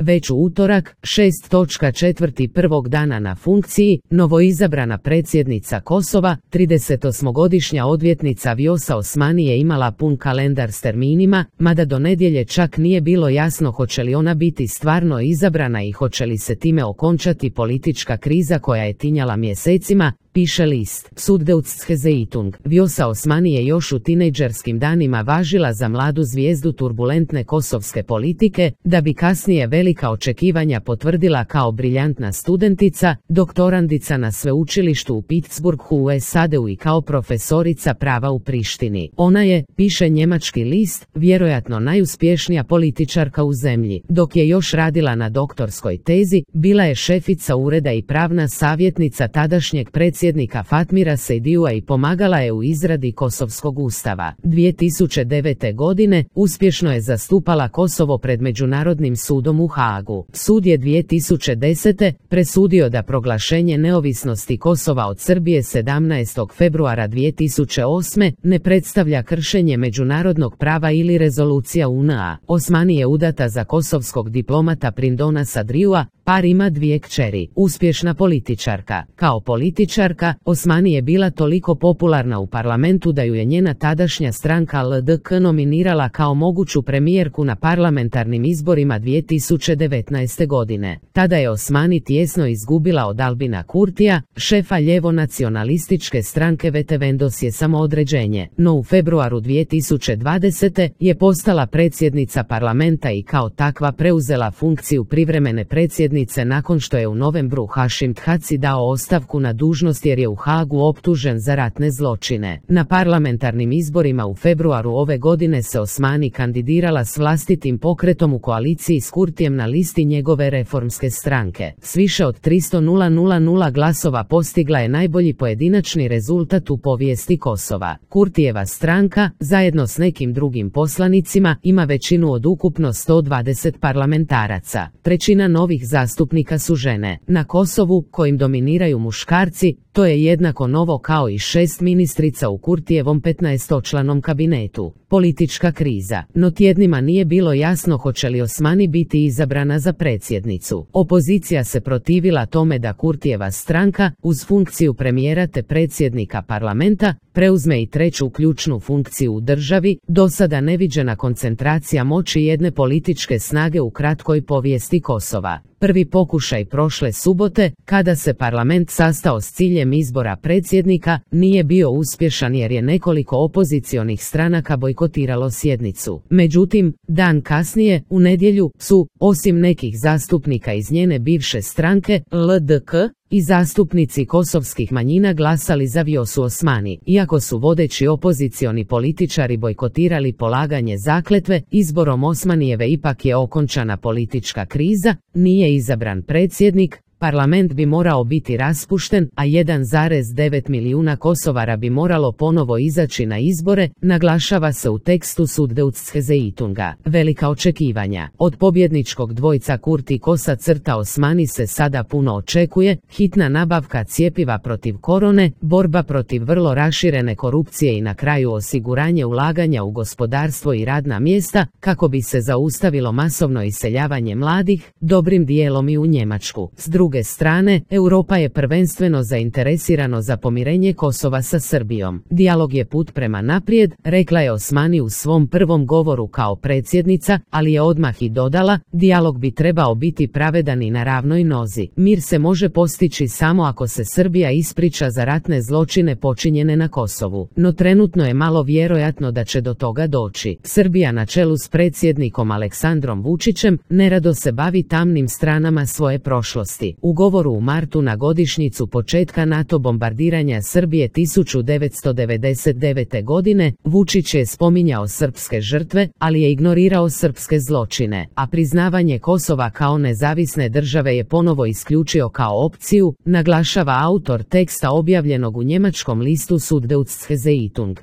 Već u utorak, 6.4. prvog dana na funkciji, novoizabrana predsjednica Kosova, 38-godišnja odvjetnica Vjosa Osmani je imala pun kalendar s terminima, mada do nedjelje čak nije bilo jasno hoće li ona biti stvarno izabrana i hoće li se time okončati politička kriza koja je tinjala mjesecima, piše list. Süddeutsche Zeitung. Vjosa Osmani je još u tinejdžerskim danima važila za mladu zvijezdu turbulentne kosovske politike, da bi kasnije velika očekivanja potvrdila kao briljantna studentica, doktorandica na sveučilištu u Pittsburghu u SAD-u i kao profesorica prava u Prištini. Ona je, piše njemački list, vjerojatno najuspješnija političarka u zemlji. Dok je još radila na doktorskoj tezi, bila je šefica ureda i pravna savjetnica tadašnjeg predsjednika Fatmira Sejdijua i pomagala je u izradi Kosovskog ustava. 2009. godine uspješno je zastupala Kosovo pred Međunarodnim sudom u Haagu. Sud je 2010. presudio da proglašenje neovisnosti Kosova od Srbije 17. februara 2008. ne predstavlja kršenje međunarodnog prava ili rezolucija UN-a. Osmani je udata za kosovskog diplomata Prindona Sadriua, par ima 2 kćeri. Uspješna političarka. Kao političarka, Osmani je bila toliko popularna u parlamentu da ju je njena tadašnja stranka LDK nominirala kao moguću premijerku na parlamentarnim izborima 2019. godine. Tada je Osmani tijesno izgubila od Albina Kurtija, šefa ljevo-nacionalističke stranke Vetevendosje samoodređenje, no u februaru 2020. je postala predsjednica parlamenta i kao takva preuzela funkciju privremene predsjednice nakon što je u novembru Hašim Thaci dao ostavku na dužnost jer je u Haagu optužen za ratne zločine. Na parlamentarnim izborima u februaru ove godine se Osmani kandidirala s vlastitim pokretom u koaliciji s Kurtijem na listi njegove reformske stranke. S više od 300.000 glasova postigla je najbolji pojedinačni rezultat u povijesti Kosova. Kurtijeva stranka, zajedno s nekim drugim poslanicima, ima većinu od ukupno 120 parlamentaraca. Trećina novih zastupnika su žene. Na Kosovu, kojim dominiraju muškarci, to je jednako novo kao i 6 ministrica u Kurtijevom 15-članom kabinetu. Politička kriza. No tjednima nije bilo jasno hoće li Osmani biti izabrana za predsjednicu. Opozicija se protivila tome da Kurtijeva stranka, uz funkciju premijera te predsjednika parlamenta, preuzme i treću ključnu funkciju u državi, do sada neviđena koncentracija moći jedne političke snage u kratkoj povijesti Kosova. Prvi pokušaj prošle subote, kada se parlament sastao s ciljem izbora predsjednika, nije bio uspješan jer je nekoliko opozicionih stranaka bojkotiralo sjednicu. Međutim, dan kasnije, u nedjelju, su, osim nekih zastupnika iz njene bivše stranke, LDK, i zastupnici kosovskih manjina glasali za Vjosu Osmani. Iako su vodeći opozicioni političari bojkotirali polaganje zakletve, izborom Osmanijeve ipak je okončana politička kriza, nije izabran predsjednik, parlament bi morao biti raspušten, a 1,9 milijuna Kosovara bi moralo ponovo izaći na izbore, naglašava se u tekstu Süddeutsche Zeitunga. Velika očekivanja. Od pobjedničkog dvojca Kurti Kosa crta Osmani se sada puno očekuje, hitna nabavka cjepiva protiv korone, borba protiv vrlo raširene korupcije i na kraju osiguranje ulaganja u gospodarstvo i radna mjesta, kako bi se zaustavilo masovno iseljavanje mladih, dobrim dijelom i u Njemačku. S druge strane, Europa je prvenstveno zainteresirano za pomirenje Kosova sa Srbijom. Dijalog je put prema naprijed, rekla je Osmani u svom prvom govoru kao predsjednica, ali je odmah i dodala, dijalog bi trebao biti pravedan i na ravnoj nozi. Mir se može postići samo ako se Srbija ispriča za ratne zločine počinjene na Kosovu. No trenutno je malo vjerojatno da će do toga doći. Srbija na čelu s predsjednikom Aleksandrom Vučićem nerado se bavi tamnim stranama svoje prošlosti. U govoru u martu na godišnjicu početka NATO bombardiranja Srbije 1999. godine, Vučić je spominjao srpske žrtve, ali je ignorirao srpske zločine, a priznavanje Kosova kao nezavisne države je ponovo isključio kao opciju, naglašava autor teksta objavljenog u njemačkom listu Süddeutsche Zeitung.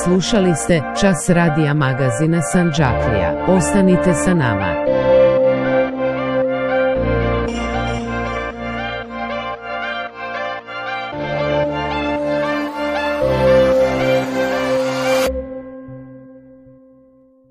Slušali ste Čas radija magazina Sandžaklija. Ostanite sa nama.